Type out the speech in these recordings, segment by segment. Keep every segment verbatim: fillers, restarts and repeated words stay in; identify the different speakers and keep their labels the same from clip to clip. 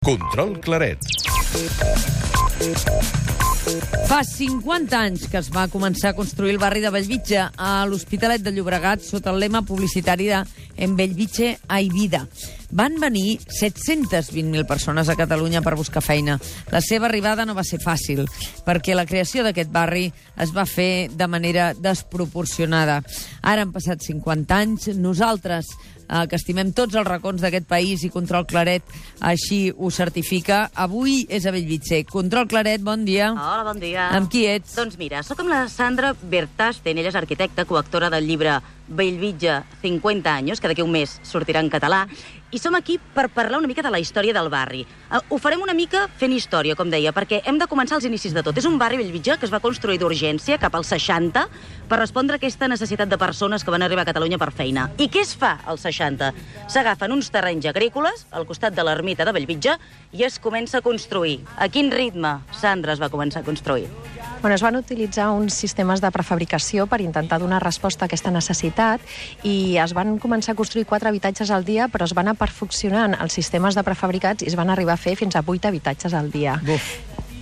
Speaker 1: Control Claret.
Speaker 2: Fa cinquanta anys que es va començar a construir el barri de Bellvitge a l'Hospitalet de Llobregat sota el lema publicitari de En Bellvitge hay vida. Van venir set-centes vint mil persones a Catalunya per buscar feina. La seva arribada no va ser fàcil, perquè la creació d'aquest barri es va fer de manera desproporcionada. Ara han passat cinquanta anys, nosaltres, eh, que estimem tots els racons d'aquest país i Control Claret així ho certifica, avui és a Bellvitge. Control Claret, bon dia.
Speaker 3: Hola, bon dia.
Speaker 2: Amb qui ets?
Speaker 3: Doncs mira, sóc amb la Sandra Bertasten, ella és arquitecta, coautora del llibre Bellvitge, cinquanta anys, que d'aquí un mes sortirà en català, i som aquí per parlar una mica de la història del barri. Ho farem una mica fent història, com deia, perquè hem de començar als inicis de tot. És un barri, Bellvitge, que es va construir d'urgència cap als seixanta per respondre a aquesta necessitat de persones que van arribar a Catalunya per feina. I què es fa als seixanta? S'agafen uns terrenys agrícoles al costat de l'ermita de Bellvitge i es comença a construir. A quin ritme, Sandra, es va començar a construir?
Speaker 4: Bueno, es van utilitzar uns sistemes de prefabricació per intentar donar resposta a aquesta necessitat i es van començar a construir quatre habitatges al dia, però es van anar perfeccionant els sistemes de prefabricats i es van arribar a fer fins a vuit habitatges al dia.
Speaker 2: Buf.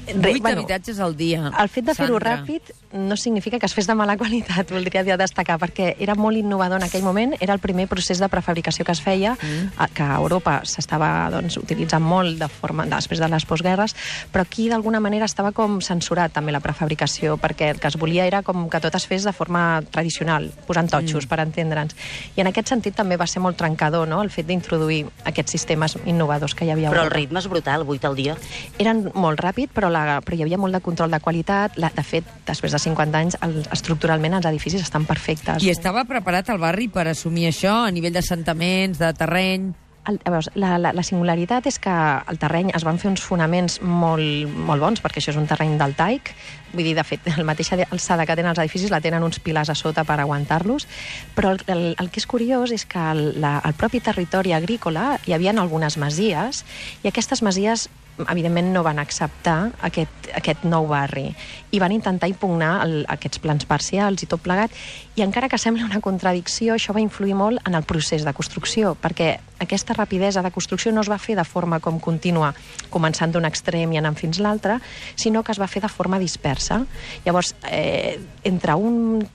Speaker 2: Vuit bueno, habitatges al dia.
Speaker 4: El fet de fer-ho ràpid no significa que es fes de mala qualitat, voldria destacar, perquè era molt innovador en aquell moment, era el primer procés de prefabricació que es feia, mm. que a Europa s'estava doncs, utilitzant molt de forma, després de les postguerres, però aquí d'alguna manera estava com censurat també la prefabricació, perquè el que es volia era com que tot es fes de forma tradicional, posant totxos mm. per entendre'ns. I en aquest sentit també va ser molt trencador, no?, el fet d'introduir aquests sistemes innovadors que hi havia.
Speaker 3: Però el ritme és brutal, vuit al dia.
Speaker 4: Eren molt ràpid, però la però hi havia molt de control de qualitat. La, de fet, després de cinquanta anys, el, estructuralment els edificis estan perfectes.
Speaker 2: I estava preparat el barri per assumir això a nivell d'assentaments, de terreny?
Speaker 4: El, veus, la, la, la singularitat és que el terreny es van fer uns fonaments molt, molt bons, perquè això és un terreny deltaic. Vull dir, de fet, el mateix alçada que tenen els edificis la tenen uns pilars a sota per aguantar-los, però el, el, el que és curiós és que el, la, el propi territori agrícola hi havia algunes masies, i aquestes masies evidentment no van acceptar aquest, aquest nou barri i van intentar impugnar el, aquests plans parcials i tot plegat, i encara que sembla una contradicció, això va influir molt en el procés de construcció, perquè aquesta rapidesa de construcció no es va fer de forma com contínua, començant d'un extrem i anant fins l'altre, sinó que es va fer de forma dispersa. Llavors, eh, entre un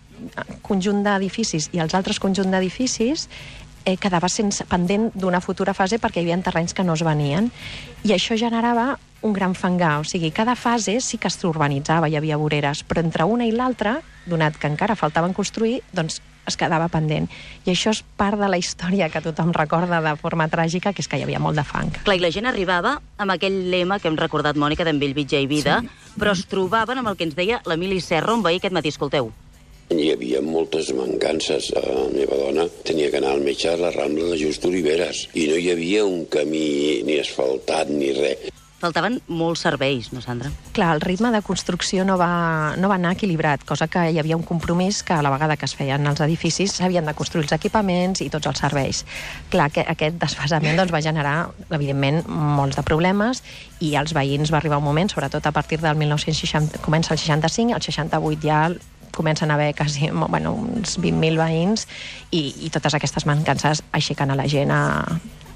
Speaker 4: conjunt d'edificis i els altres conjunt d'edificis, Eh, quedava sense, pendent d'una futura fase perquè hi havia terrenys que no es venien, i això generava un gran fangar. O sigui, cada fase sí que s'urbanitzava, hi havia voreres, però entre una i l'altra, donat que encara faltaven construir, doncs es quedava pendent. I això és part de la història que tothom recorda de forma tràgica, que és que hi havia molt de fang.
Speaker 3: Clar, i la gent arribava amb aquell lema que hem recordat, Mònica, d'en Bellvitge i vida, sí. Però es trobaven amb el que ens deia l'Emili Serra, un veí aquest matí, escolteu.
Speaker 5: Hi havia moltes mancances. La meva dona tenia que anar al metge a la Rambla de Just Oliveres i no hi havia un camí ni asfaltat ni res.
Speaker 3: Faltaven molts serveis, no, Sandra?
Speaker 4: Clar, el ritme de construcció no va, no va anar equilibrat, cosa que hi havia un compromís que a la vegada que es feien els edificis s'havien de construir els equipaments i tots els serveis. Clar, que aquest desfasament doncs, va generar, evidentment, molts de problemes, i als veïns va arribar un moment, sobretot a partir del mil nou-cents seixanta, comença el seixanta-cinc, el seixanta-vuit ja comencen a haver quasi, bueno, uns vint mil veïns, i, i totes aquestes mancances aixequen a la gent a,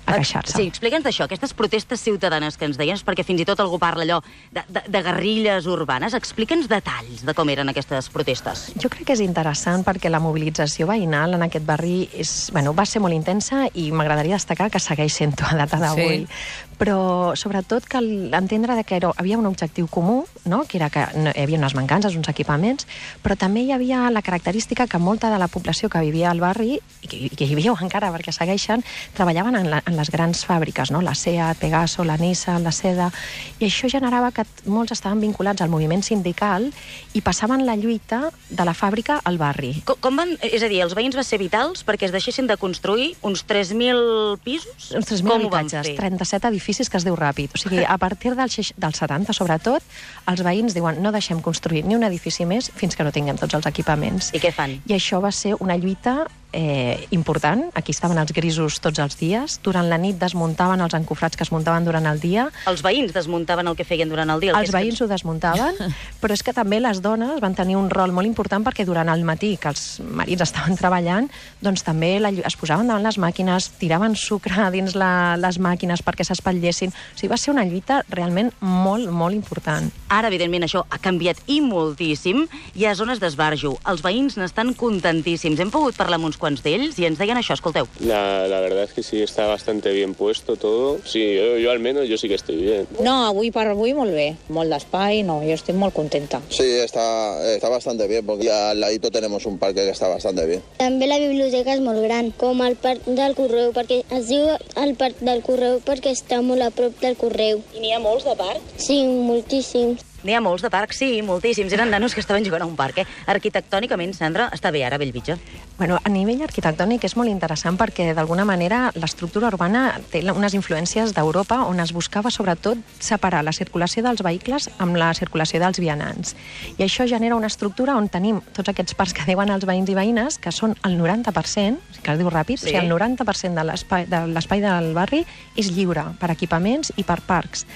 Speaker 4: a queixar-se.
Speaker 3: Sí, explica'ns d'això, aquestes protestes ciutadanes que ens deien, perquè fins i tot algú parla allò de, de, de guerrilles urbanes. Explica'ns detalls de com eren aquestes protestes.
Speaker 4: Jo crec que és interessant perquè la mobilització veïnal en aquest barri és, bueno, va ser molt intensa, i m'agradaria destacar que segueix sent-ho a data d'avui. Sí. Però sobretot cal entendre que era, havia un objectiu comú, no?, que era que no, hi havia unes mancances, uns equipaments, però també hi havia la característica que molta de la població que vivia al barri, i que, que hi viu encara perquè segueixen, treballaven en, la, en les grans fàbriques, no?, la SEAT, Pegaso, la Nissan, la Seda, i això generava que molts estaven vinculats al moviment sindical i passaven la lluita de la fàbrica al barri.
Speaker 3: Com, com van, és a dir, els veïns va ser vitals perquè es deixessin de construir uns tres mil pisos?
Speaker 4: Uns tres mil habitatges, trenta-set edificis que es diu ràpid. O sigui, a partir del, dels setanta, sobretot, els veïns diuen no deixem construir ni un edifici més fins que no tinguem tots els equipaments.
Speaker 3: I què fan?
Speaker 4: I això va ser una lluita eh, important. Aquí estaven els grisos tots els dies. Durant la nit desmuntaven els encofrats que es muntaven durant el dia.
Speaker 3: Els veïns desmuntaven el que feien durant el dia. El
Speaker 4: els veïns que... ho desmuntaven, però és que també les dones van tenir un rol molt important perquè durant el matí, que els marits estaven treballant, doncs també la, es posaven davant les màquines, tiraven sucre dins la, les màquines perquè s'espatllessin. O sigui, va ser una lluita realment molt, molt important.
Speaker 3: Ara, evidentment, això ha canviat i moltíssim. Hi ha zones d'esbarjo. Els veïns n'estan contentíssims. Hem pogut parlar amb uns quants d'ells i ens deien això, escolteu.
Speaker 1: La, la verdad es que sí, está bastante bien puesto todo. Sí, yo, yo al menos, yo sí que estoy bien.
Speaker 6: No, avui per avui molt bé. Molt d'espai, no, jo estic molt contenta.
Speaker 7: Sí, está, está bastante bien, porque al ladito tenemos un parque que está bastante bien.
Speaker 8: També la biblioteca és molt gran, com el parc del Correu, perquè es diu el parc del Correu perquè està molt a prop del Correu.
Speaker 3: I n'hi ha molts de parcs?
Speaker 8: Sí, moltíssims.
Speaker 3: N'hi ha molts de parcs, sí, moltíssims. Eren nanos que estaven jugant a un parc, eh? Arquitectònicament, Sandra, està bé ara Bellvitge?
Speaker 4: Bueno, a nivell arquitectònic és molt interessant perquè, d'alguna manera, l'estructura urbana té unes influències d'Europa on es buscava, sobretot, separar la circulació dels vehicles amb la circulació dels vianants. I això genera una estructura on tenim tots aquests parcs que diuen els veïns i veïnes, que són el noranta per cent, que es diu ràpid, sí. O sigui, el noranta per cent de l'espai de l'espai del barri és lliure per equipaments i per parcs.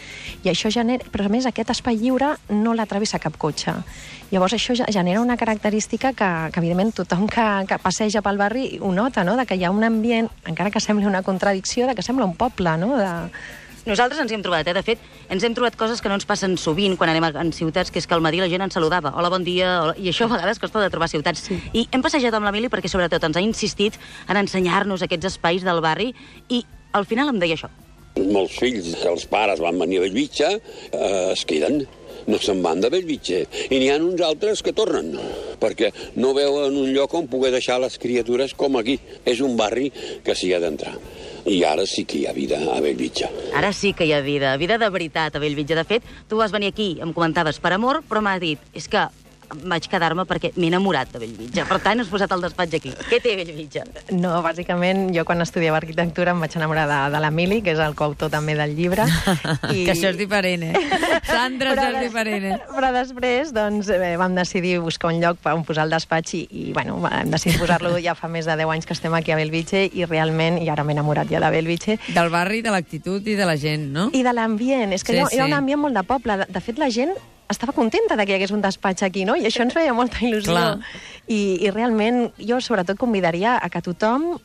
Speaker 4: I això genera... Però, a més, aquest espai lliure no la travessa cap cotxe. Llavors, això genera una característica que, que evidentment, tothom que, que passeja pel barri ho nota, no?, de que hi ha un ambient, encara que sembli una contradicció, de que sembla un poble, no?, de...
Speaker 3: Nosaltres ens hi hem trobat, eh? De fet, ens hem trobat coses que no ens passen sovint quan anem a, en ciutats, que és que al matí la gent ens saludava. Hola, bon dia. Hola. I això a vegades costa de trobar ciutats. Sí. I hem passejat amb l'Emili perquè, sobretot, ens ha insistit en ensenyar-nos aquests espais del barri i, al final, em deia això.
Speaker 5: Molts fills que els pares van venir a Bellvitge eh, es queden. No se'n van de Bellvitge. I n'hi ha uns altres que tornen, perquè no veuen un lloc on poder deixar les criatures com aquí. És un barri que s'hi ha d'entrar. I ara sí que hi ha vida a Bellvitge.
Speaker 3: Ara sí que hi ha vida, vida de veritat a Bellvitge. De fet, tu vas venir aquí, em comentaves, per amor, però m'ha dit, és que vaig quedar-me perquè m'he enamorat de Bellvitge. Per tant, has posat el despatx aquí. Què té Bellvitge?
Speaker 4: No, bàsicament, jo quan estudiava arquitectura em vaig enamorar de, de l'Emili, que és el coautor també del llibre.
Speaker 2: I... Que això és diferent, eh? Sandra, això és diferent, eh?
Speaker 4: Però després, doncs, eh, vam decidir buscar un lloc on posar el despatx i, i bueno, vam decidir posar-lo ja fa més de deu anys que estem aquí a Bellvitge i realment, i ara m'he enamorat ja de Bellvitge.
Speaker 2: Del barri, de l'actitud i de la gent, no?
Speaker 4: I de l'ambient. És que sí, hi, ha, sí. hi ha un ambient molt de poble. De, de fet, la gent estava contenta de que hi hagués un despatx aquí, no? I això ens feia molta il·lusió. I, I realment jo sobretot convidaria a que tothom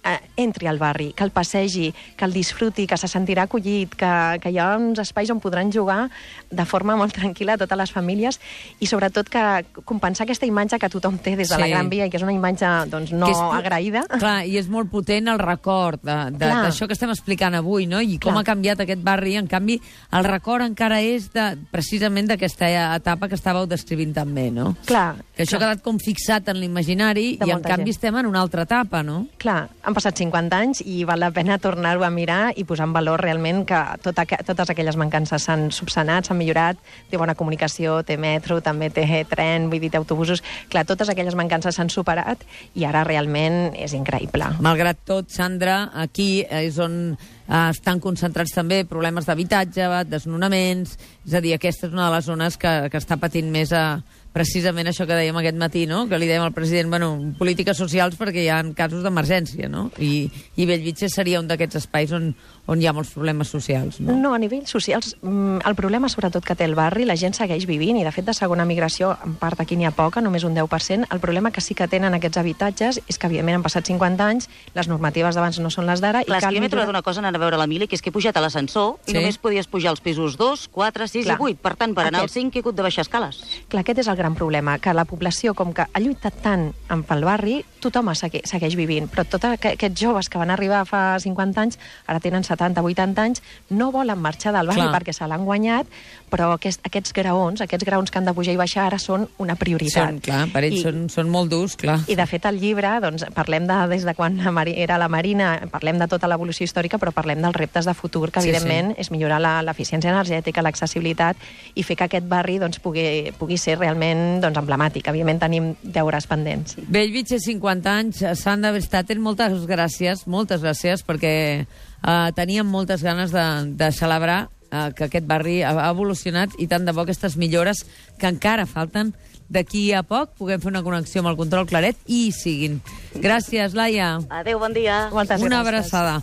Speaker 4: eh, entri al barri, que el passegi, que el disfruti, que se sentirà acollit, que, que hi ha uns espais on podran jugar de forma molt tranquil·la totes les famílies i sobretot que compensar aquesta imatge que tothom té des de sí. la Gran Via i que és una imatge doncs, no és, agraïda.
Speaker 2: Clar, i és molt potent el record d'això que estem explicant avui, no? I com clar. ha canviat aquest barri. En canvi, el record encara és de, precisament d'aquesta etapa que estàveu descrivint també, no?
Speaker 4: Clar.
Speaker 2: Que això
Speaker 4: clar.
Speaker 2: ha quedat com fixat en l'imaginari i en canvi gent. estem en una altra etapa, no?
Speaker 4: Clar, han passat cinquanta anys i val la pena tornar-ho a mirar i posar en valor realment que tot aqu totes aquelles mancances s'han subsanat, s'han millorat, té bona comunicació, té metro, també té tren, vull dir, té autobusos. Clar, totes aquelles mancances s'han superat i ara realment és increïble.
Speaker 2: Malgrat tot, Sandra, aquí és on eh, estan concentrats també problemes d'habitatge, desnonaments, és a dir, aquesta és una de les zones que, que està patint més a precisament això que dèiem aquest matí, no? Que li dèiem al president, bueno, polítiques socials perquè hi ha casos d'emergència, no? I, i Bellvitge seria un d'aquests espais on, on hi ha molts problemes socials, no?
Speaker 4: No, a nivell socials, el problema sobretot que té el barri, la gent segueix vivint, i de fet de segona migració, en part aquí n'hi ha poca, només un deu per cent. El problema que sí que tenen aquests habitatges és que, evidentment, han passat cinquanta anys, les normatives d'abans no són les d'ara...
Speaker 3: Clar, és que jo m'he trobat una cosa anant a veure l'Emili, que és que he pujat a l'ascensor i sí. només podies pujar als pisos dos, quatre, sis i vuit. Per tant, per anar al cinc he hagut de baixar escales.
Speaker 4: Clar, aquest és el gran problema, que la població, com que ha lluitat tant pel barri, tothom segueix, segueix vivint, però tots aquests joves que van arribar fa cinquanta anys, ara tenen setanta, vuitanta anys, no volen marxar del barri clar. perquè se l'han guanyat, però aquest, aquests graons, aquests graons que han de pujar i baixar ara són una prioritat.
Speaker 2: Són, clar, per ells I, són, són molt durs, clar.
Speaker 4: I de fet al llibre, doncs, parlem de, des de quan era la Marina, parlem de tota l'evolució històrica, però parlem dels reptes de futur, que sí, evidentment sí. és millorar l'eficiència energètica, l'accessibilitat i fer que aquest barri doncs, pugui, pugui ser realment doncs, emblemàtic. Evidentment tenim deures pendents.
Speaker 2: Bellvitge, cinquanta anys. Sandra Verstappen, moltes gràcies, moltes gràcies, perquè eh, teníem moltes ganes de, de celebrar eh, que aquest barri ha evolucionat i tant de bo aquestes millores que encara falten d'aquí a poc puguem fer una connexió amb el control Claret i hi siguin. Gràcies, Laia.
Speaker 3: Adéu, bon dia.
Speaker 4: Moltes
Speaker 2: Una
Speaker 4: gràcies.
Speaker 2: abraçada.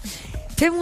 Speaker 2: Fem una